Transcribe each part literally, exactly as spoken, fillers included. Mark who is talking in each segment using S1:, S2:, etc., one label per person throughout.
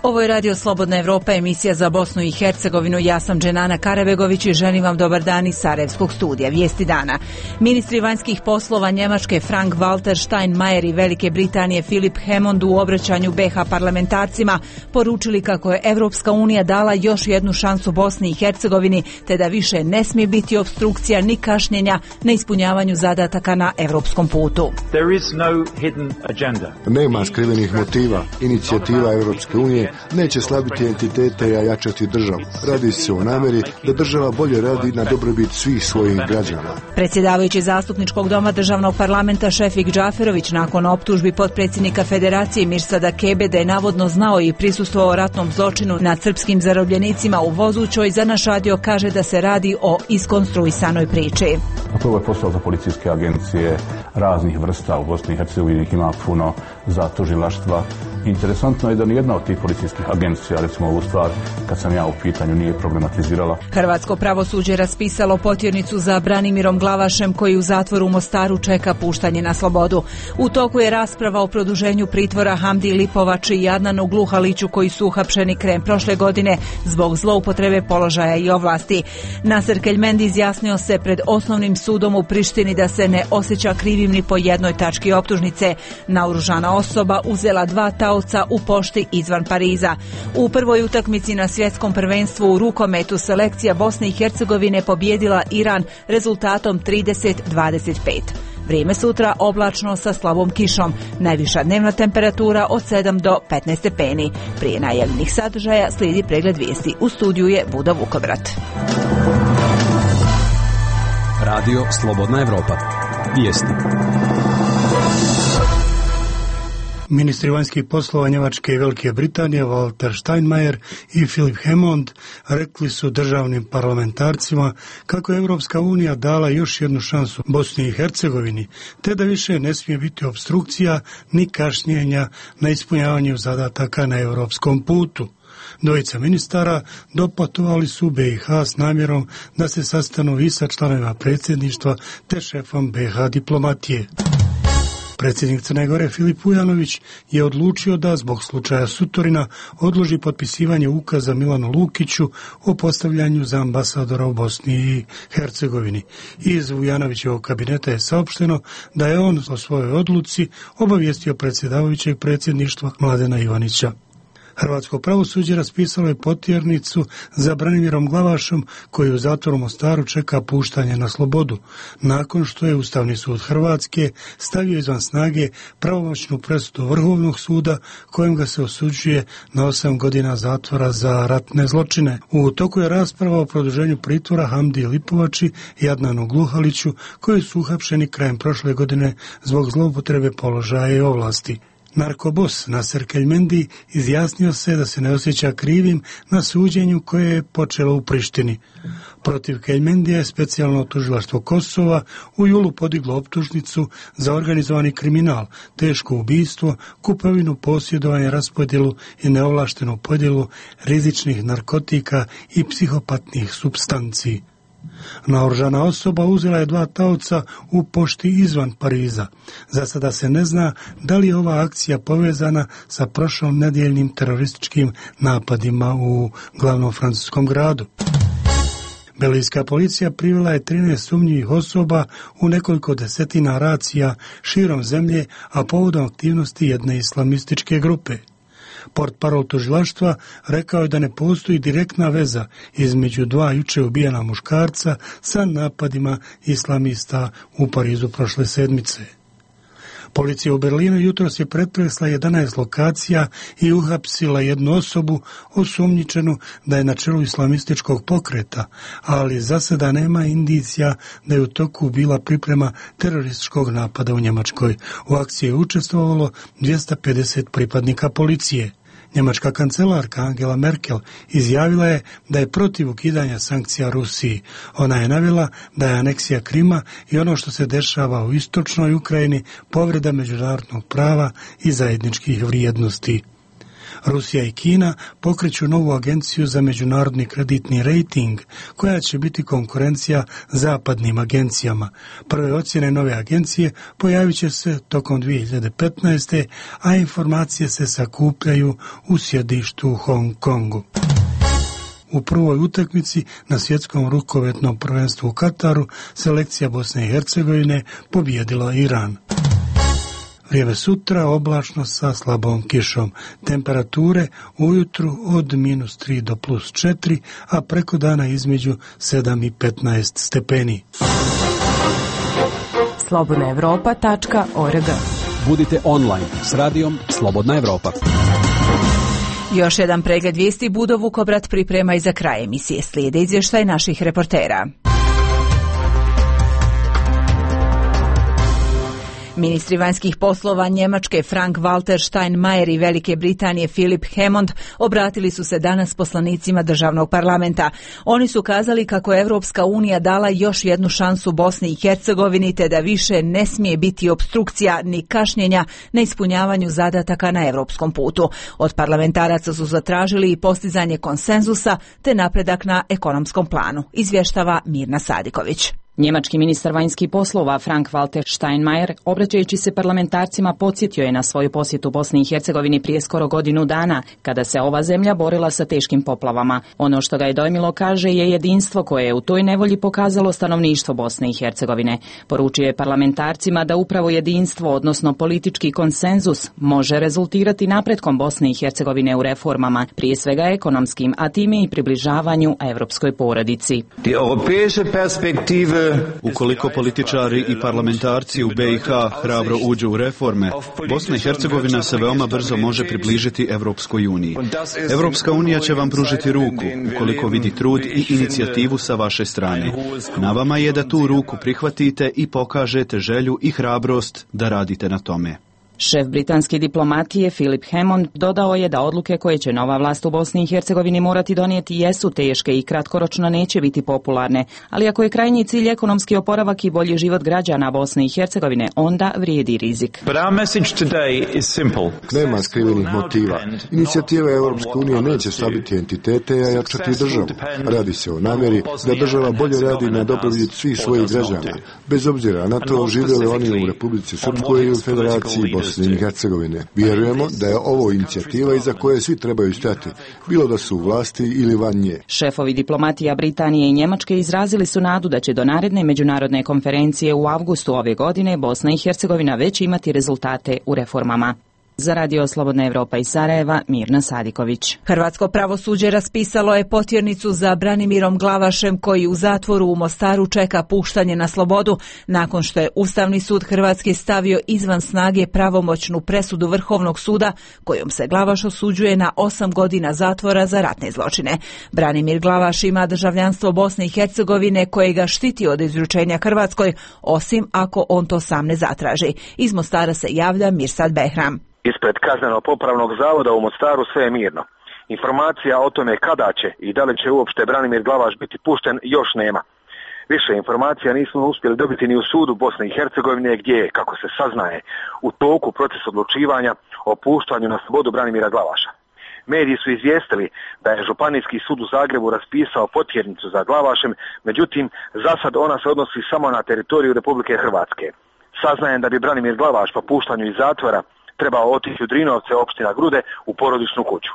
S1: Ovo je Radio Slobodna Evropa, emisija za Bosnu i Hercegovinu. Ja sam Dženana Karabegović i želim vam dobar dan iz Sarajevskog studija. Vijesti dana. Ministri vanjskih poslova Njemačke Frank-Walter Steinmeier i Velike Britanije Philip Hammond u obraćanju B H parlamentarcima poručili kako je Evropska unija dala još jednu šansu Bosni i Hercegovini, te da više ne smije biti opstrukcija ni kašnjenja na ispunjavanju zadataka na evropskom putu.
S2: There is no hidden agenda.
S3: Nema skrivenih motiva. Inicijativa Evropske unije neće slabiti entitete i jačati državu. Radi se o namjeri da država bolje radi na dobrobit svih svojih građana.
S1: Predsjedavajući zastupničkog doma državnog parlamenta Šefik Džaferović nakon optužbi potpredsjednika Federacije Mirsada Kebe da je navodno znao i prisustvovao ratnom zločinu nad srpskim zarobljenicima u Vozućoj, za naš radio kaže da se radi o iskonstruisanoj priči.
S4: To je posao za policijske agencije raznih vrsta u Bosni i Hercegovini, ima puno za tužilaštva. Interesantno je da nijedna od tih policijskih agencija, recimo ovu stvar, kad sam ja u pitanju, nije problematizirala.
S1: Hrvatsko pravosuđe je raspisalo potjernicu za Branimirom Glavašem, koji u zatvoru u Mostaru čeka puštanje na slobodu. U toku je rasprava o produženju pritvora Hamdi Lipovači i Adnanu Gluhaliću, koji su uhapšeni krajem prošle godine zbog zloupotrebe položaja i ovlasti. Naser Keljmendi izjasnio se pred osnovnim sudom u Prištini da se ne osjeća krivim ni po jednoj tački optužnice. Naoružana osoba uzela dva taoca u pošti izvan Pariza. U prvoj utakmici na svjetskom prvenstvu u rukometu selekcija Bosne i Hercegovine pobjedila Iran rezultatom trideset dvadeset pet. Vrijeme sutra oblačno sa slabom kišom. Najviša dnevna temperatura od sedam do petnaest stepeni. Prije najavljenih sadržaja slijedi pregled vijesti. U studiju je Buda Vukovrat.
S5: Radio Slobodna Evropa. Vijesti.
S6: Ministri vanjskih poslova Njemačke i Velike Britanije Walter Steinmeier i Philip Hammond rekli su državnim parlamentarcima kako je Evropska unija dala još jednu šansu Bosni i Hercegovini, te da više ne smije biti opstrukcija ni kašnjenja na ispunjavanju zadataka na europskom putu. Dvojica ministara doputovali su u B i H s namjerom da se sastanu i sa članovima predsjedništva te šefom B i H diplomatije. Predsjednik Crne Gore Filip Ujanović je odlučio da zbog slučaja Sutorina odloži potpisivanje ukaza Milanu Lukiću o postavljanju za ambasadora u Bosni i Hercegovini. Iz Ujanovićevog kabineta je saopšteno da je on o svojoj odluci obavijestio predsjedavajućeg predsjedništva Mladena Ivanića. Hrvatsko pravosuđe raspisalo je potjernicu za Branimirom Glavašom, koji u zatvoru Mostaru čeka puštanje na slobodu, nakon što je Ustavni sud Hrvatske stavio izvan snage pravomoćnu presudu Vrhovnog suda kojim ga se osuđuje na osam godina zatvora za ratne zločine. U toku je rasprava o produženju pritvora Hamdi Lipovači i Adnanu Gluhaliću, koji su uhapšeni krajem prošle godine zbog zloupotrebe položaja i ovlasti. Narkobos Naser Keljmendi izjasnio se da se ne osjeća krivim na suđenju koje je počelo u Prištini. Protiv Keljmendija je specijalno tužilaštvo Kosova u julu podiglo optužnicu za organizovani kriminal, teško ubistvo, kupovinu, posjedovanje, raspodjelu i neovlaštenu podjelu rizičnih narkotika i psihopatnih supstanci. Naoružana osoba uzela je dva taoca u pošti izvan Pariza. Za sada se ne zna da li je ova akcija povezana sa prošlom nedjeljnim terorističkim napadima u glavnom francuskom gradu. Belgijska policija privela je trinaest sumnjivih osoba u nekoliko desetina racija širom zemlje, a povodom aktivnosti jedne islamističke grupe. Portparol tužilaštva rekao je da ne postoji direktna veza između dva juče ubijena muškarca sa napadima islamista u Parizu prošle sedmice. Policija u Berlinu jutros je pretresla jedanaest lokacija i uhapsila jednu osobu osumnjičenu da je na čelu islamističkog pokreta, ali za sada nema indicija da je u toku bila priprema terorističkog napada u Njemačkoj. U akciji je učestvovalo dvjesto pedeset pripadnika policije. Njemačka kancelarka Angela Merkel izjavila je da je protiv ukidanja sankcija Rusiji. Ona je navela da je aneksija Krima i ono što se dešava u istočnoj Ukrajini povreda međunarodnog prava i zajedničkih vrijednosti. Rusija i Kina pokreću novu agenciju za međunarodni kreditni rejting, koja će biti konkurencija zapadnim agencijama. Prve ocjene nove agencije pojavit će se tokom dvije hiljade petnaeste. a informacije se sakupljaju u sjedištu u Hong Kongu. U prvoj utakmici na svjetskom rukometnom prvenstvu u Kataru selekcija Bosne i Hercegovine pobijedila Iran. Vrijeme sutra oblačno sa slabom kišom. Temperature ujutru od minus tri do plus četiri, a preko dana između sedam i petnaest stepeni.
S7: slobodna evropa tačka org.
S5: Budite online s radijom Slobodna Evropa.
S1: Još jedan pregled vijesti Budo Vukobrat priprema i za kraj emisije. Slijede izvještaj naših reportera. Ministri vanjskih poslova Njemačke Frank-Walter Steinmeier i Velike Britanije Philip Hammond obratili su se danas poslanicima državnog parlamenta. Oni su kazali kako je Evropska unija dala još jednu šansu Bosni i Hercegovini, te da više ne smije biti opstrukcija ni kašnjenja na ispunjavanju zadataka na europskom putu. Od parlamentaraca su zatražili i postizanje konsenzusa te napredak na ekonomskom planu, izvještava Mirna Sadiković.
S8: Njemački ministar vanjskih poslova Frank-Walter Steinmeier, obraćajući se parlamentarcima, podsjetio je na svoju posjetu Bosni i Hercegovini prije skoro godinu dana, kada se ova zemlja borila sa teškim poplavama. Ono što ga je dojmilo, kaže, je jedinstvo koje je u toj nevolji pokazalo stanovništvo Bosne i Hercegovine. Poručio je parlamentarcima da upravo jedinstvo, odnosno politički konsenzus, može rezultirati napretkom Bosne i Hercegovine u reformama, prije svega ekonomskim, a time i približavanju evropskoj porodici.
S9: Ukoliko političari i parlamentarci u B i H hrabro uđu u reforme, Bosna i Hercegovina se veoma brzo može približiti Evropskoj uniji. Evropska unija će vam pružiti ruku, ukoliko vidi trud i inicijativu sa vaše strane. Na vama je da tu ruku prihvatite i pokažete želju i hrabrost da radite na tome.
S8: Šef britanske diplomatije Philip Hammond dodao je da odluke koje će nova vlast u Bosni i Hercegovini morati donijeti jesu teške i kratkoročno neće biti popularne, ali ako je krajnji cilj ekonomski oporavak i bolji život građana Bosne i Hercegovine, onda vrijedi rizik.
S3: Nema skrivenih motiva. Inicijativa Europske unije neće slabiti entitete, a jačati državu. Radi se o namjeri da država bolje radi na dobrobit svih svojih građana, bez obzira na to živjeli oni u Republici Srpskoj ili u Federaciji Bosne i Hercegovine. Vjerujemo da je ovo inicijativa iza koje svi trebaju stati, bilo da su u vlasti ili van nje.
S8: Šefovi diplomatija Britanije i Njemačke izrazili su nadu da će do naredne međunarodne konferencije u avgustu ove godine Bosna i Hercegovina već imati rezultate u reformama. Za Radio Slobodna Evropa iz Sarajeva, Mirna Sadiković.
S1: Hrvatsko pravosuđe raspisalo je potjernicu za Branimirom Glavašem, koji u zatvoru u Mostaru čeka puštanje na slobodu, nakon što je Ustavni sud Hrvatske stavio izvan snage pravomoćnu presudu Vrhovnog suda, kojom se Glavaš osuđuje na osam godina zatvora za ratne zločine. Branimir Glavaš ima državljanstvo Bosne i Hercegovine, koje ga štiti od izručenja Hrvatskoj, osim ako on to sam ne zatraži. Iz Mostara se javlja Mirsad Behram.
S10: Ispred kazneno-popravnog zavoda u Mostaru sve je mirno. Informacija o tome kada će i da li će uopšte Branimir Glavaš biti pušten još nema. Više informacija nismo uspjeli dobiti ni u sudu Bosne i Hercegovine, gdje je, kako se saznaje, u toku proces odlučivanja o puštanju na slobodu Branimira Glavaša. Mediji su izvijestili da je Županijski sud u Zagrebu raspisao potjernicu za Glavašem, međutim, za sad ona se odnosi samo na teritoriju Republike Hrvatske. Saznajem da bi Branimir Glavaš po puštanju iz zatvora trebao otići u Drinovce, opština Grude, u porodičnu kuću.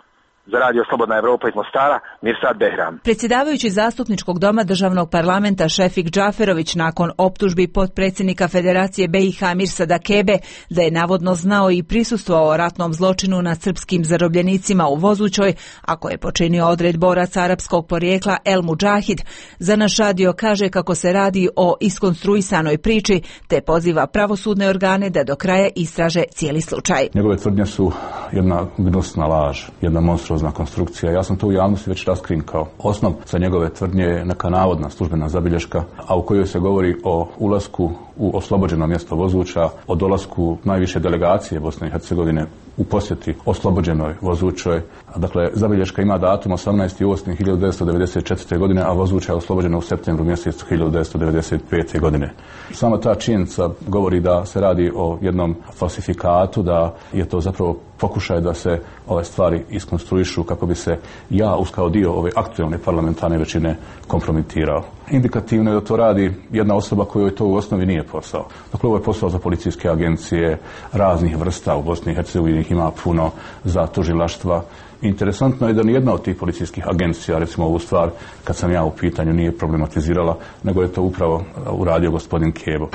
S10: Za Radio Slobodna Evropa iz Mostara, Mirsad Behram.
S1: Predsjedavajući zastupničkog doma državnog parlamenta Šefik Džaferović, nakon optužbi potpredsjednika Federacije B i H Mirsada Kebe da je navodno znao i prisustvovao ratnom zločinu nad srpskim zarobljenicima u Vozućoj, a koje je počinio odred boraca arapskog porijekla El Mudžahid, za naš radio kaže kako se radi o iskonstruisanoj priči, te poziva pravosudne organe da do kraja istraže cijeli slučaj.
S4: Njegove tvrdnje su jedna gnusna laž, jedna monstruozna konstrukcija. Ja sam to u javnosti već raskrinkao. Osnov za njegove tvrdnje je neka navodna službena zabilješka, a u kojoj se govori o ulasku u oslobođeno mjesto Vozuća, o dolasku najviše delegacije Bosne i Hercegovine u posjeti oslobođenoj Vozućoj, Dakle, zabilješka ima datum osamnaesti osmi hiljadu devetsto devedeset četvrte. godine, a vozuća je oslobođena u septembru mjesecu hiljadu devetsto devedeset pete. godine. Sama ta činjenica govori da se radi o jednom falsifikatu, da je to zapravo pokušaj da se ove stvari iskonstruišu kako bi se ja, uz kao dio ove aktualne parlamentarne većine, kompromitirao. Indikativno je da to radi jedna osoba kojoj to u osnovi nije posao. Dakle, ovo je posao za policijske agencije raznih vrsta, u Bosni i Hercegovini ima puno, za tužilaštva. Interesantno je da nijedna od tih policijskih agencija, recimo ovu stvar, kad sam ja u pitanju, nije problematizirala, nego je to upravo uradio gospodin Kebo.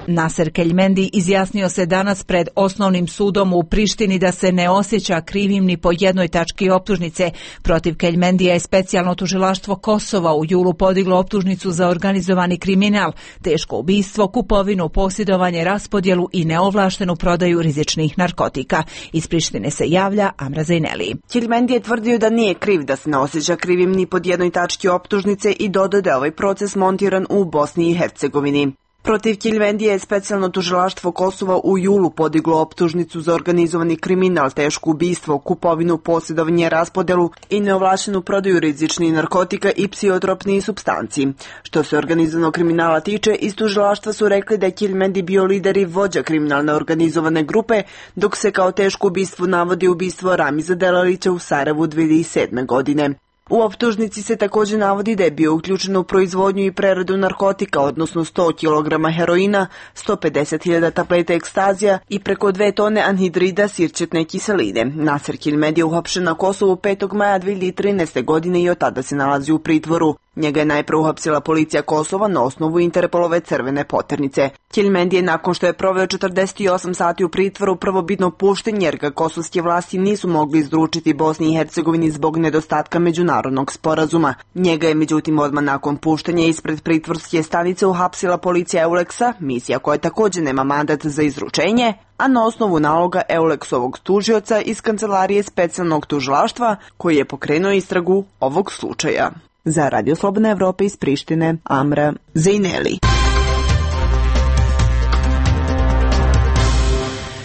S1: Naser Keljmendi izjasnio se danas pred osnovnim sudom u Prištini da se ne osjeća krivim ni po jednoj tački optužnice. Protiv Keljmendija je specijalno tužilaštvo Kosova u julu podiglo optužnicu za organizovani kriminal, teško ubistvo, kupovinu, posjedovanje, raspodjelu i neovlaštenu prodaju rizičnih narkotika. Iz Prištine se javlja Amra Zejneli.
S11: Keljmendi je tvrdio da nije kriv, da se ne osjeća krivim ni pod jednoj tački optužnice i dodao da je ovaj proces montiran u Bosni i Hercegovini. Protiv Keljmendija je specijalno tužilaštvo Kosova u julu podiglo optužnicu za organizovani kriminal, teško ubistvo, kupovinu, posjedovanje, raspodelu i neovlaštenu prodaju rizičnih narkotika i psihotropnih supstanci. Što se organizovanog kriminala tiče, iz tužilaštva su rekli da je Keljmendi bio lider i vođa kriminalne organizovane grupe, dok se kao teško ubistvo navodi ubistvo Ramiza Delalića u Sarajevu dvije hiljade sedme. godine. U optužnici se također navodi da je bio uključen u proizvodnju i preradu narkotika, odnosno sto kilograma heroina, sto pedeset hiljada tableta ekstazija i preko dve tone anhidrida sirćetne kiseline. Naser Keljmendi je uhapšen na Kosovu petog maja dvije hiljade trinaeste. godine i od tada se nalazi u pritvoru. Njega je najprije uhapsila policija Kosova na osnovu Interpolove crvene poternice. Keljmendi je nakon što je proveo četrdeset osam sati u pritvoru prvobitno pušten jer ga kosovske vlasti nisu mogli izručiti Bosni i Hercegovini zbog nedostatka međunarodnog sporazuma. Njega je međutim odmah nakon puštenja ispred pritvorske stanice uhapsila policija Euleksa, misija koja također nema mandat za izručenje, a na osnovu naloga Euleksovog tužioca iz kancelarije specijalnog tužilaštva koji je pokrenuo istragu ovog slučaja. Za Radio Slobodna Evropa iz Prištine, Amra Zejneli.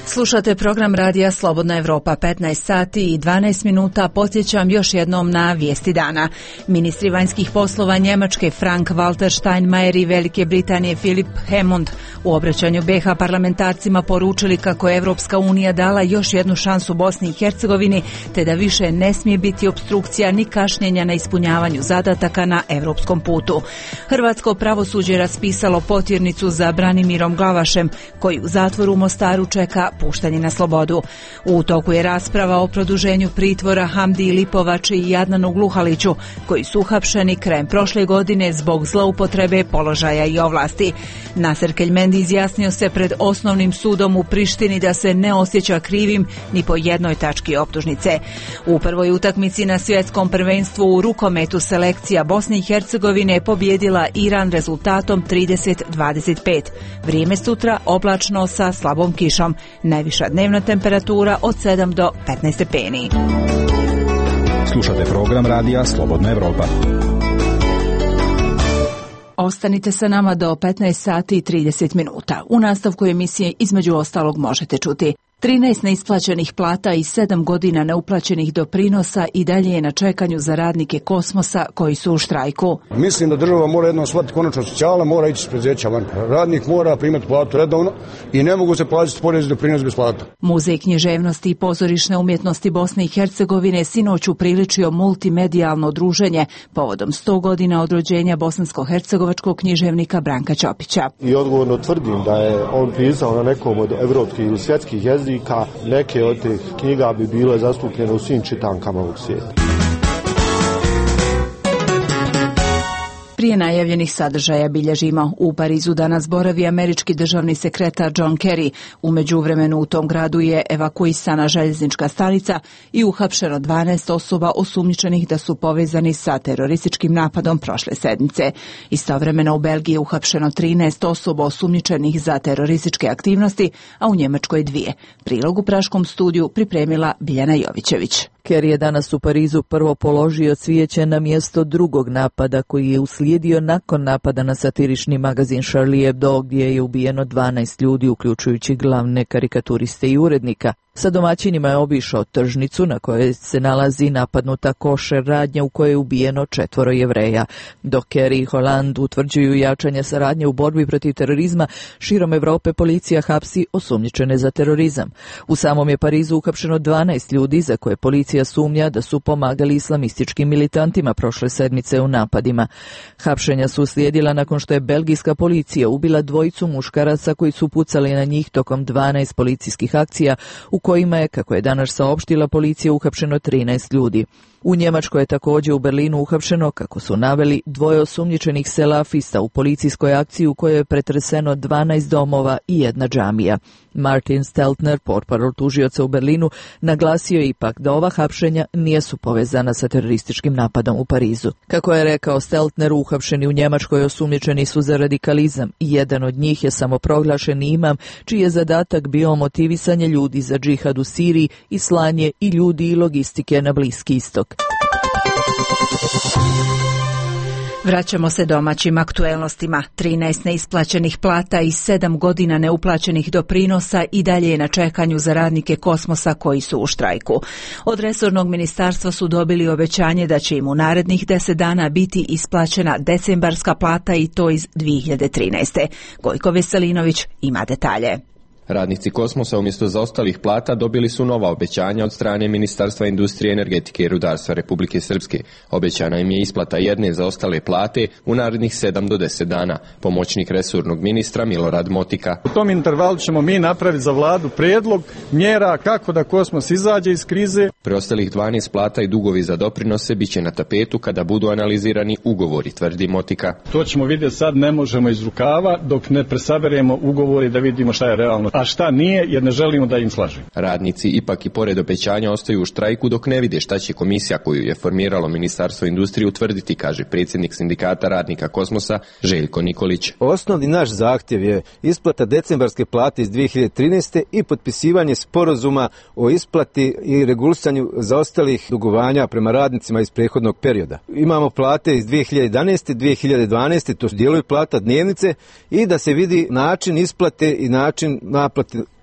S1: Slušate program radija Slobodna Evropa, petnaest sati i dvanaest minuta. Podsjećam još jednom na vijesti dana. Ministri vanjskih poslova Njemačke Frank Walter Steinmeier i Velike Britanije Philip Hammond u obraćanju be ha parlamentarcima poručili kako je Evropska unija dala još jednu šansu Bosni i Hercegovini, te da više ne smije biti opstrukcija ni kašnjenja na ispunjavanju zadataka na evropskom putu. Hrvatsko pravosuđe je raspisalo potjernicu za Branimirom Glavašem, koji u zatvoru u Mostaru čeka puštanje na slobodu. U toku je rasprava o produženju pritvora Hamdi Lipovači i Jadnanu Gluhaliću, koji su uhapšeni krajem prošle godine zbog zloupotrebe položaja i ovlasti. Naser Keljmendi izjasnio se pred osnovnim sudom u Prištini da se ne osjeća krivim ni po jednoj tački optužnice. U prvoj utakmici na svjetskom prvenstvu u rukometu selekcija Bosne i Hercegovine je pobjedila Iran rezultatom trideset dvadeset pet. Vrijeme sutra oblačno sa slabom kišom. Najviša dnevna temperatura od sedam do petnaest stepeni.
S5: Slušate program radija Slobodna Evropa.
S1: Ostanite sa nama do petnaest sati i trideset minuta. U nastavku emisije između ostalog možete čuti: trinaest neisplaćenih plata i sedam godina neuplaćenih doprinosa i dalje je na čekanju za radnike Kosmosa koji su u štrajku.
S12: Mislim da država mora jednom shvatiti konačno socijala, mora ići s preduzeća van. Radnik mora primati platu redovno i ne mogu se plaćati porez i doprinos bez plata.
S1: Muzej književnosti i pozorišne umjetnosti Bosne i Hercegovine sinoć upriličio multimedijalno druženje povodom sto godina od rođenja bosansko-hercegovačkog književnika Branka Ćopića.
S13: I odgovorno tvrdim da je on pisao na nekom od evropskih ili svjetskih jezika. Neke od tih knjiga bi bile zastupljene u svim čitankama ovog svijeta.
S1: Prije najavljenih sadržaja bilježimo. U Parizu danas boravi američki državni sekretar John Kerry. U međuvremenu u tom gradu je evakuisana željeznička stanica i uhapšeno dvanaest osoba osumnjičenih da su povezani sa terorističkim napadom prošle sedmice. Istovremeno u Belgiji je uhapšeno trinaest osoba osumnjičenih za terorističke aktivnosti, a u Njemačkoj dvije. Prilog u praškom studiju pripremila Biljana Jovićević.
S14: Kerry je danas u Parizu prvo položio cvijeće na mjesto drugog napada koji je uslijedio nakon napada na satirični magazin Charlie Hebdo, gdje je ubijeno dvanaest ljudi, uključujući glavne karikaturiste i urednika. Sa domaćinima je obišao tržnicu na kojoj se nalazi napadnuta košer radnja u kojoj je ubijeno četvoro Jevreja. Dok Kerry i Hollande utvrđuju jačanje saradnje u borbi protiv terorizma, širom Evrope policija hapsi osumnjičene za terorizam. U samom je Parizu uhapšeno dvanaest ljudi za koje policija sumnja da su pomagali islamističkim militantima prošle sedmice u napadima. Hapšenja su uslijedila nakon što je belgijska policija ubila dvojicu muškaraca koji su pucali na njih tokom dvanaest policijskih akcija u kojima je, kako je danas saopštila policija, uhapšeno trinaest ljudi. U Njemačkoj je također u Berlinu uhapšeno, kako su naveli, dvoje osumnjičenih selafista u policijskoj akciji u kojoj je pretreseno dvanaest domova i jedna džamija. Martin Steltner, portparol tužioca u Berlinu, naglasio je ipak da ova hapšenja nisu povezana sa terorističkim napadom u Parizu. Kako je rekao Steltner, uhapšeni u Njemačkoj osumnjičeni su za radikalizam i jedan od njih je samoproglašeni imam, čiji je zadatak bio motivisanje ljudi za džihad u Siriji i slanje i ljudi i logistike na Bliski istok.
S1: Vraćamo se domaćim aktuelnostima. trinaest neisplaćenih plata i sedam godina neuplaćenih doprinosa i dalje je na čekanju za radnike Kosmosa koji su u štrajku. Od resornog ministarstva su dobili obećanje da će im u narednih deset dana biti isplaćena decembarska plata i to iz dvije hiljade trinaeste. Gojko Veselinović ima detalje.
S15: Radnici Kosmosa umjesto zaostalih plata dobili su nova obećanja od strane Ministarstva industrije, energetike i rudarstva Republike Srpske. Obećana im je isplata jedne zaostale plate u narednih sedam do deset dana. Pomoćnik resornog ministra Milorad Motika.
S16: U tom intervalu ćemo mi napraviti za vladu prijedlog mjera kako da Kosmos izađe iz krize.
S15: Preostalih dvanaest plata i dugovi za doprinose bit će na tapetu kada budu analizirani ugovori, tvrdi Motika.
S16: To ćemo vidjeti sad, ne možemo iz rukava dok ne presaberemo ugovori da vidimo šta je realno, a šta nije, jer ne želimo da im slažemo.
S15: Radnici ipak i pored obećanja ostaju u štrajku dok ne vide šta će komisija koju je formiralo Ministarstvo industrije utvrditi, kaže predsjednik sindikata radnika Kosmosa Željko Nikolić.
S17: Osnovni naš zahtjev je isplata decembarske plate iz dvije hiljade trinaeste i potpisivanje sporazuma o isplati i regulisanju zaostalih dugovanja prema radnicima iz prethodnog perioda. Imamo plate iz dvije hiljade jedanaeste, dvije hiljade dvanaeste, to su dijelovi plata dnevnice, i da se vidi način isplate i način naplate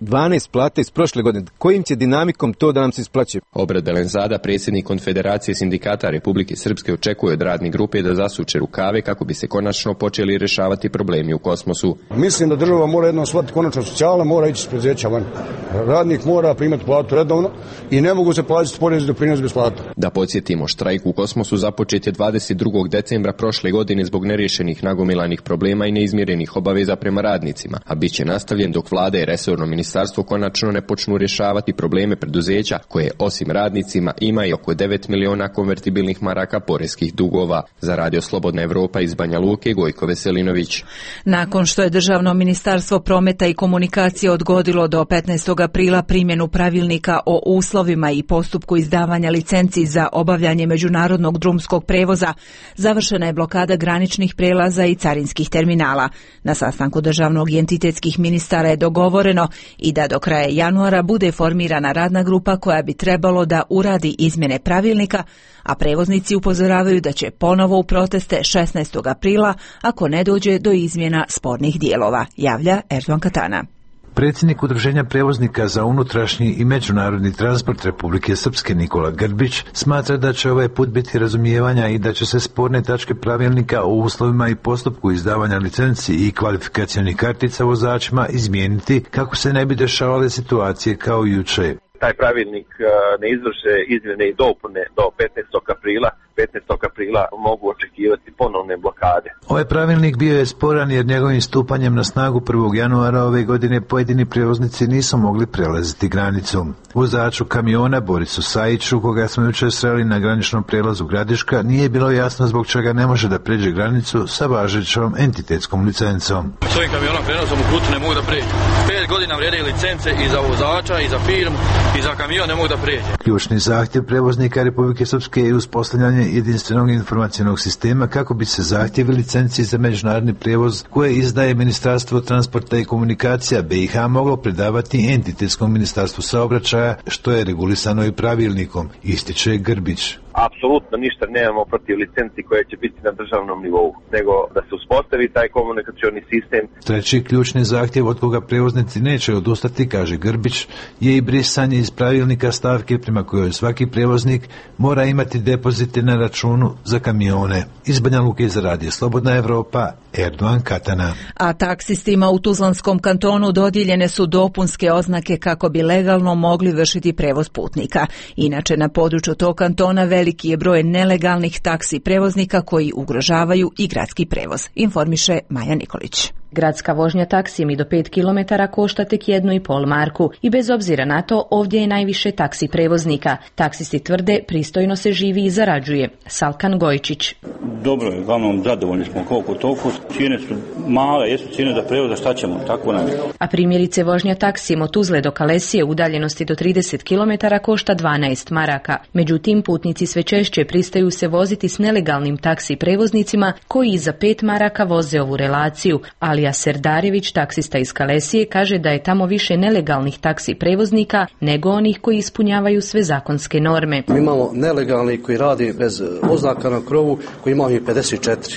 S17: dvanaest plata iz prošle godine. Kojim će dinamikom to da nam se isplaćuje?
S15: Obrad Delenzada, predsjednik Konfederacije sindikata Republike Srpske, očekuje od radne grupe da zasuče rukave kako bi se konačno počeli rješavati problemi u Kosmosu.
S12: Mislim da država mora jednom shvatiti konačno socijala, mora ići s preduzeća van. Radnik mora primati platu redovno i ne mogu se plaćati porez i doprinos bez plata.
S15: Da podsjetimo, štrajk u Kosmosu započet je dvadeset drugog decembra prošle godine zbog neriješenih nagomilanih problema i neizmjerenih obaveza prema radnicima, a bit će nastavljen dok vlada i resorno ministarstvo konačno ne počnu rješavati probleme preduzeća koje osim radnicima ima i oko devet miliona konvertibilnih maraka poreskih dugova. Za Radio Slobodna Evropa iz Banja Luke, Gojko Veselinović.
S1: Nakon što je Državno ministarstvo prometa i komunikacije odgodilo do petnaestog aprila primjenu pravilnika o uslovima i postupku izdavanja licenci za obavljanje međunarodnog drumskog prevoza, završena je blokada graničnih prelaza i carinskih terminala. Na sastanku državnog i entitetskih ministara je dogovoreno i da do kraja januara bude formirana radna grupa koja bi trebalo da uradi izmjene pravilnika, a prevoznici upozoravaju da će ponovo u proteste šesnaestog aprila ako ne dođe do izmjena spornih dijelova, javlja Erdogan Katana.
S18: Predsjednik Udruženja prevoznika za unutrašnji i međunarodni transport Republike Srpske Nikola Grbić smatra da će ovaj put biti razumijevanja i da će se sporne tačke pravilnika o uslovima i postupku izdavanja licenci i kvalifikacionih kartica vozačima izmijeniti kako se ne bi dešavale situacije kao juče.
S19: Taj pravilnik ne izvrše izmjene i dopune do petnaestog aprila. petnaestog aprila mogu očekivati ponovne blokade.
S18: Ovaj pravilnik bio je sporan jer njegovim stupanjem na snagu prvog januara ove godine pojedini prijevoznici nisu mogli prelaziti granicu. Vozaču kamiona Borisu Sajiću, koga smo jučer sreli na graničnom prijelazu Gradiška, nije bilo jasno zbog čega ne može da pređe granicu sa važećom entitetskom licencom.
S20: S ovim kamionom prelazom u putu ne mogu da pređe. Pet godina vrijede licence i za vozača i za firmu i za kamion ne mogu da pređe.
S18: Ključni zahtjev prevoznika Republike Srpske je uspostavljanje jedinstvenog informacionog sistema kako bi se zahtjevi licenci za međunarodni prijevoz koje izdaje Ministarstvo transporta i komunikacija B i H moglo predavati entitetskom ministarstvu saobraćaja, što je regulisano i pravilnikom, ističe Grbić.
S19: apsolutno ništa nemamo protiv licenci koje će biti na državnom nivou, nego da se uspostavi taj komunikacioni sistem.
S18: Treći ključni zahtjev od koga prevoznici neće odustati, kaže Grbić, je i brisanje iz pravilnika stavke prema kojoj svaki prevoznik mora imati depozite na računu za kamione. Iz Banja Luke za Radio Slobodna Evropa, Erdogan Katana.
S1: A taksistima u Tuzlanskom kantonu dodijeljene su dopunske oznake kako bi legalno mogli vršiti prevoz putnika. Inače, na području tog kantona veliki je broj nelegalnih taksi prevoznika koji ugrožavaju i gradski prevoz, informiše Maja Nikolić.
S8: Gradska vožnja taksijem i do pet kilometara košta tek jednu i pol marku i bez obzira na to ovdje je najviše taksi prevoznika. Taksisti tvrde pristojno se živi i zarađuje. Salkan Gojčić.
S21: Dobro je, uglavnom zadovoljni smo koliko toliko. Cijene su male, jesu cijene za prevoza, šta ćemo, tako nam je.
S8: A primjerice vožnja taksijem od Tuzle do Kalesije u udaljenosti do trideset kilometara košta dvanaest maraka. Međutim, putnici sve češće pristaju se voziti s nelegalnim taksi prevoznicima koji i za pet maraka voze ovu relaciju, ali Serdarević, taksista iz Kalesije, kaže da je tamo više nelegalnih taksi prevoznika nego onih koji ispunjavaju sve zakonske norme.
S22: Mi imamo nelegalni koji radi bez oznaka na krovu, koji imamo i pedeset četiri.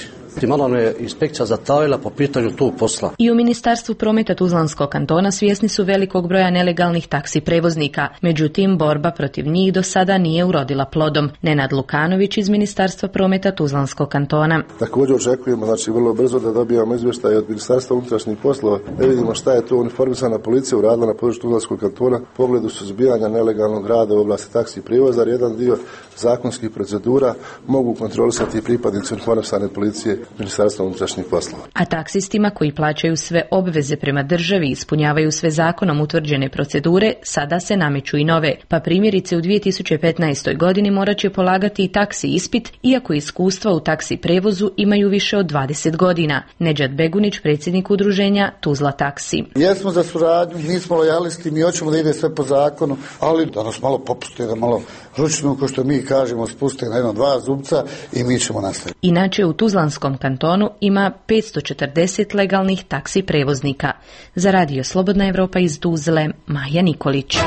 S22: Malo je inspekcija zatajila po pitanju tog posla.
S8: I u Ministarstvu prometa Tuzlanskog kantona svjesni su velikog broja nelegalnih taksi prevoznika. Međutim, borba protiv njih do sada nije urodila plodom. Nenad Lukanović iz Ministarstva prometa Tuzlanskog kantona.
S23: Također očekujemo, znači vrlo brzo da dobijamo izvještaj od Ministarstva unutrašnjih poslova, da vidimo šta je to uniformisana policija uradila na području Tuzlanskog kantona u pogledu suzbijanja nelegalnog rada u oblasti taksi prijevoza. Jedan dio zakonskih procedura mogu kontrolisati pripadnici uniformisane policije Ministarstva unutrašnjih poslova.
S8: A taksistima koji plaćaju sve obveze prema državi i ispunjavaju sve zakonom utvrđene procedure, sada se nameću i nove. Pa primjerice u dvije tisuće petnaestoj godini morat će polagati i taksi ispit, iako iskustva u taksi prevozu imaju više od dvadeset godina. Nedžad Begunić, predsjednik udruženja Tuzla taksi.
S24: Jesmo za suradnju, nismo lojalisti, mi hoćemo da ide sve po zakonu, ali da nas malo popuste, da malo ručno, ko što mi kažemo, spuste na jedno dva zubca i mi ćemo nastaviti.
S8: Inače, u Tuzlanskom kantonu ima petsto četrdeset legalnih taksi prevoznika. Za Radio Slobodna Evropa iz Tuzle, Maja Nikolić.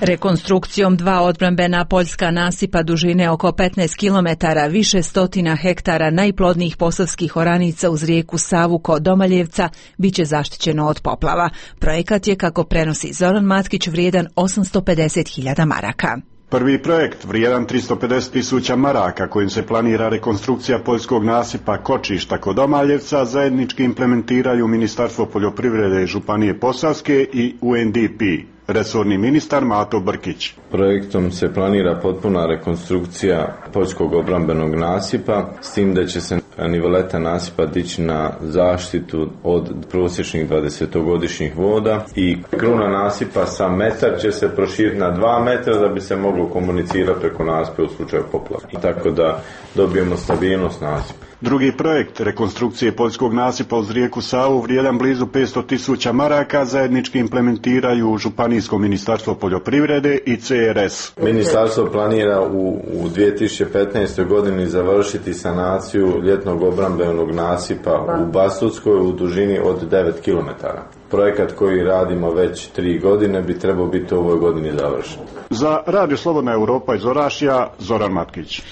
S1: Rekonstrukcijom dva odbrambena poljska nasipa dužine oko petnaest kilometara, više stotina hektara najplodnijih posavskih oranica uz rijeku Savu kod Domaljevca biće zaštićeno od poplava. Projekat je, kako prenosi Zoran Matkić, vrijedan osamsto pedeset hiljada maraka.
S25: Prvi projekt, vrijedan tristo pedeset tisuća maraka, kojim se planira rekonstrukcija poljskog nasipa Kočišta kod Domaljevca, zajednički implementiraju Ministarstvo poljoprivrede i Županije Posavske i U N D P. Resorni ministar Mato Brkić.
S26: Projektom se planira potpuna rekonstrukcija poljskog obrambenog nasipa, s tim da će se niveleta nasipa dići na zaštitu od prosječnih dvadesetogodišnjih voda i kruna nasipa sa metar će se proširiti na dva metra da bi se moglo komunicirati preko nasipa u slučaju poplava. Tako da dobijemo stabilnost nasipa.
S25: Drugi projekt rekonstrukcije poljskog nasipa uz rijeku Savu, vrijedan blizu petsto tisuća maraka, zajednički implementiraju Županijsko ministarstvo poljoprivrede i C R S.
S26: Ministarstvo planira u, u dvije tisuće petnaestoj godini završiti sanaciju ljetnog obrambenog nasipa u Bastutskoj u dužini od devet kilometara. Projekat koji radimo već tri godine bi trebao biti u ovoj godini završen.
S25: Za Radio Slobodna Evropa iz Orašja, Zoran Matkić.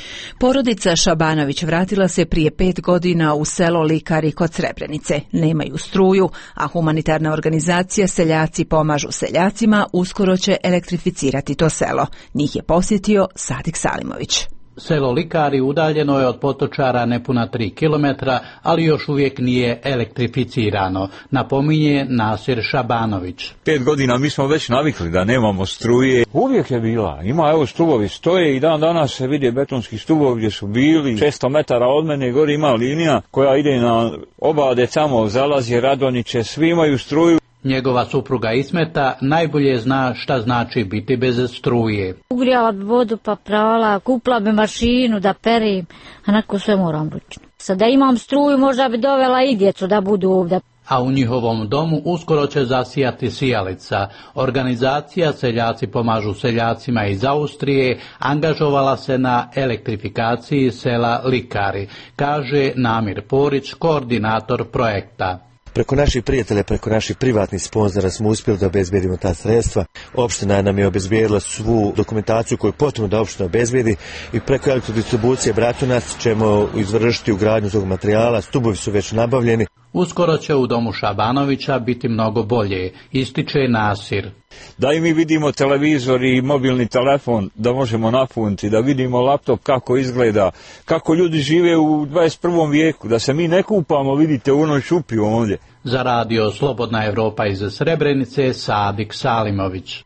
S1: Porodica Šabanović vratila se prije pet godina u selo Likari kod Srebrenice. Nemaju struju, a humanitarna organizacija Seljaci pomažu seljacima uskoro će elektrificirati to selo. Njih je posjetio Sadik Salimović.
S27: Selo Likari udaljeno je od Potočara nepuna tri kilometra, ali još uvijek nije elektrificirano, napominje Nasir Šabanović.
S28: Pet godina mi smo već navikli da nemamo struje. Uvijek je bila. Ima, evo, stubovi stoje i dan danas se vidi betonski stubovi gdje su bili. šesto metara od mene gori ima linija koja ide na Obade, samo zalazi Radoniće, svi imaju struju.
S27: Njegova supruga Ismeta najbolje zna šta znači biti bez struje.
S29: Ugrijala bi vodu pa prala, kupila bi mašinu da perim, a nakon sve moram ručno. Sad da imam struju možda bi dovela i djecu da budu ovdje.
S27: A u njihovom domu uskoro će zasijati sijalica. Organizacija Seljaci pomažu seljacima iz Austrije angažovala se na elektrifikaciji sela Likari, kaže Namir Porić, koordinator projekta.
S2: Preko naših prijatelja, preko naših privatnih sponzora smo uspjeli da obezbedimo ta sredstva. Opština nam je obezbedila svu dokumentaciju koju je potrebno da opština obezbedi i preko elektrodistribucije Bratunac ćemo izvršiti ugradnju tog materijala. Stubovi su već nabavljeni.
S27: Uskoro će u domu Šabanovića biti mnogo bolje, ističe Nasir.
S28: Da i mi vidimo televizor i mobilni telefon, da možemo napuniti, da vidimo laptop kako izgleda, kako ljudi žive u dvadeset prvom vijeku, da se mi ne kupamo, vidite, u onoj šupi ovdje.
S27: Za radio Slobodna Evropa iz Srebrenice, Sadik Salimović.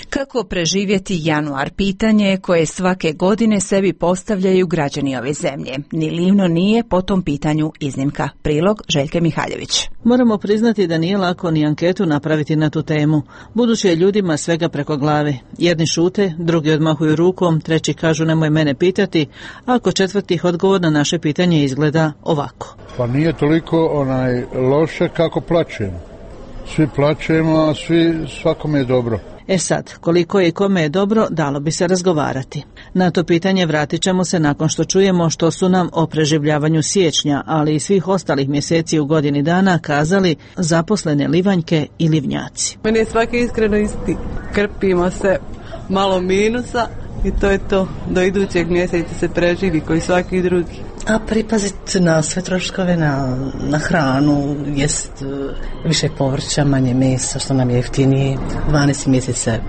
S1: Kako preživjeti januar? Pitanje koje svake godine sebi postavljaju građani ove zemlje. Ni Livno nije po tom pitanju iznimka. Prilog Željke Mihaljević.
S3: Moramo priznati da nije lako ni anketu napraviti na tu temu, budući je ljudima svega preko glave. Jedni šute, drugi odmahuju rukom, treći kažu nemoj mene pitati, a kod četvrtih odgovor na naše pitanje izgleda ovako.
S4: Pa nije toliko onaj loše kako plačemo. Svi plačemo, a svi svakome je dobro.
S3: E sad, koliko je i kome je dobro, dalo bi se razgovarati. Na to pitanje vratit ćemo se nakon što čujemo što su nam o preživljavanju siječnja, ali i svih ostalih mjeseci u godini dana kazali zaposlene livanjke i livnjaci.
S5: Meni je svaki iskreno isti. Krpimo se malo minusa i to je to. Do idućeg mjeseca se preživi koji svaki drugi.
S6: A pripaziti na sve troškove, na, na hranu, jest više povrća, manje mesa, što nam je jeftinije. dvanaest mjeseca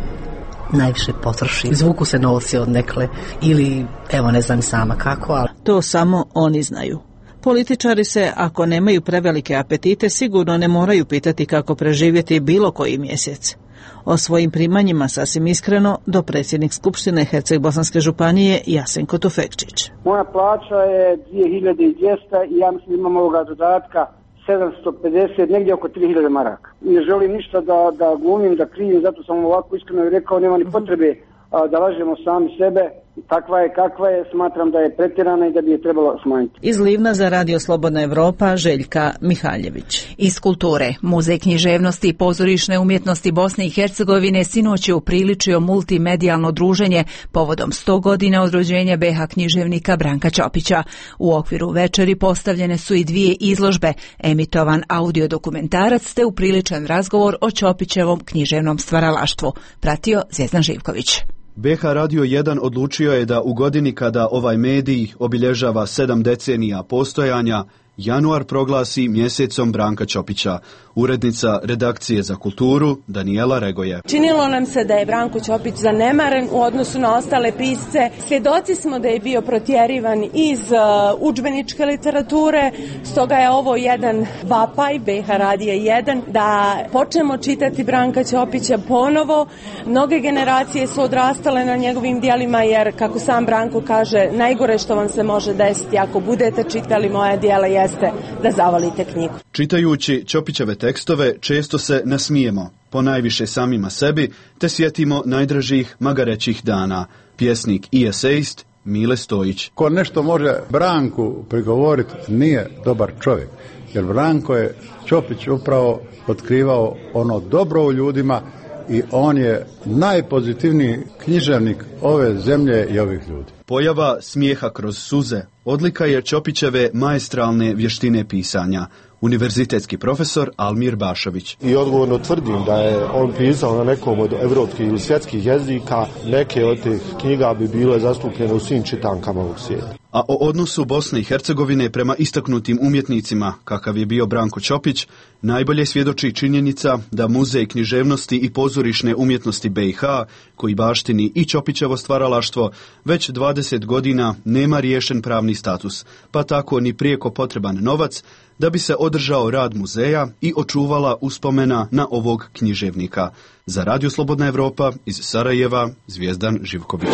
S6: najviše potroši. Zvuku se novci od nekle ili, evo ne znam sama kako, ali...
S3: To samo oni znaju. Političari se, ako nemaju prevelike apetite, sigurno ne moraju pitati kako preživjeti bilo koji mjesec. O svojim primanjima sasvim iskreno do predsjednik Skupštine Herceg-Bosanske županije Jasenko Tufekčić.
S7: Moja plaća je dvije hiljade dvjesto i ja mislim imam ovoga dodatka sedamsto pedeset, negdje oko tri hiljade maraka. Ne želim ništa da, da glumim, da krivim, zato sam ovako iskreno i rekao, nema ni potrebe a, da lažemo sami sebe. Takva je kakva je, smatram da je pretjerana i da bi je trebalo smanjiti.
S3: Iz Livna za radio Slobodna Evropa, Željka Mihaljević.
S1: Iz kulture, Muzej književnosti i pozorišne umjetnosti Bosne i Hercegovine sinoć je upriličio multimedijalno druženje povodom sto godina od rođenja be ha književnika Branka Ćopića. U okviru večeri postavljene su i dvije izložbe, emitovan audio dokumentarac te upriličan razgovor o Ćopićevom književnom stvaralaštvu. Pratio Zvjezdan Živković.
S9: be ha Radio jedan odlučio je da u godini kada ovaj medij obilježava sedam decenija postojanja, januar proglasi mjesecom Branka Ćopića. Urednica redakcije za kulturu Danijela Regoje.
S10: Činilo nam se da je Branko Ćopić zanemaren u odnosu na ostale pisce. Svjedoci smo da je bio protjerivan iz uh, udžbeničke literature, stoga je ovo jedan vapaj be ha Radija jedan da počnemo čitati Branka Ćopića ponovo. Mnoge generacije su odrastale na njegovim djelima jer, kako sam Branko kaže, najgore što vam se može desiti ako budete čitali moja djela jeste da zavolite knjigu.
S9: Čitajući Ćopićeve tekstove često se nasmijemo, ponajviše samima sebi, te sjetimo najdražih magarećih dana. Pjesnik i esejist Mile Stojić.
S4: Ko nešto može Branku prigovoriti, nije dobar čovjek, jer Branko je Ćopić upravo otkrivao ono dobro u ljudima i on je najpozitivniji književnik ove zemlje i ovih ljudi.
S9: Pojava smijeha kroz suze odlika je Ćopićeve maestralne vještine pisanja. Univerzitetski profesor Almir Bašović.
S13: I odgovorno tvrdim da je on pisao na nekom od evropskih ili svjetskih jezika. Neke od tih knjiga bi bile zastupljene u svim čitankama ovog svijeta.
S9: A o odnosu Bosne i Hercegovine prema istaknutim umjetnicima, kakav je bio Branko Ćopić, najbolje svjedoči činjenica da Muzej književnosti i pozorišne umjetnosti be ha, koji baštini i Ćopićevo stvaralaštvo, već dvadeset godina nema riješen pravni status, pa tako ni prijeko potreban novac da bi se održao rad muzeja i očuvala uspomena na ovog književnika. Za Radio Slobodna Evropa iz Sarajeva, Zvjezdan Živković.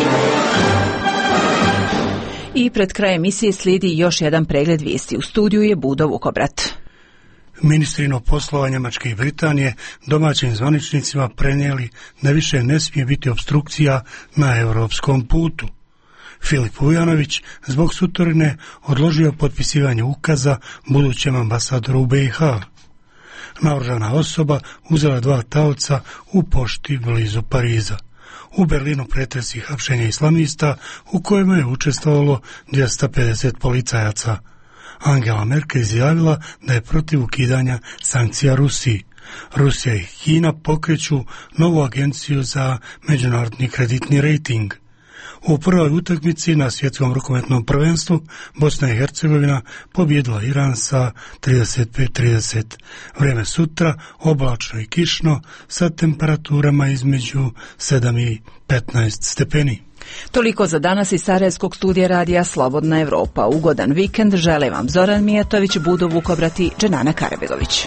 S1: I pred krajem emisije slijedi još jedan pregled vijesti. U studiju je Budo Vukobrat.
S11: Ministrino poslova Njemačke i Britanije domaćim zvaničnicima prenijeli da više ne smije biti opstrukcija na europskom putu. Filip Vujanović zbog sutorine odložio potpisivanje ukaza budućem ambasadoru u be ha. Naoružana osoba uzela dva taoca u pošti blizu Pariza. U Berlinu pretresi hapšenja islamista u kojima je učestvovalo dvjesto pedeset policajaca. Angela Merkel izjavila da je protiv ukidanja sankcija Rusiji. Rusija i Kina pokreću novu agenciju za međunarodni kreditni rejting. U prvoj utakmici na svjetskom rukometnom prvenstvu Bosna i Hercegovina pobjedila Iran sa trideset pet trideset. Vrijeme sutra oblačno i kišno sa temperaturama između sedam i petnaest stepeni.
S1: Toliko za danas iz Sarajevskog studija radija Slobodna Evropa. Ugodan vikend žele vam Zoran Mijatović, Budo Vukobrati, Dženana Karabegović.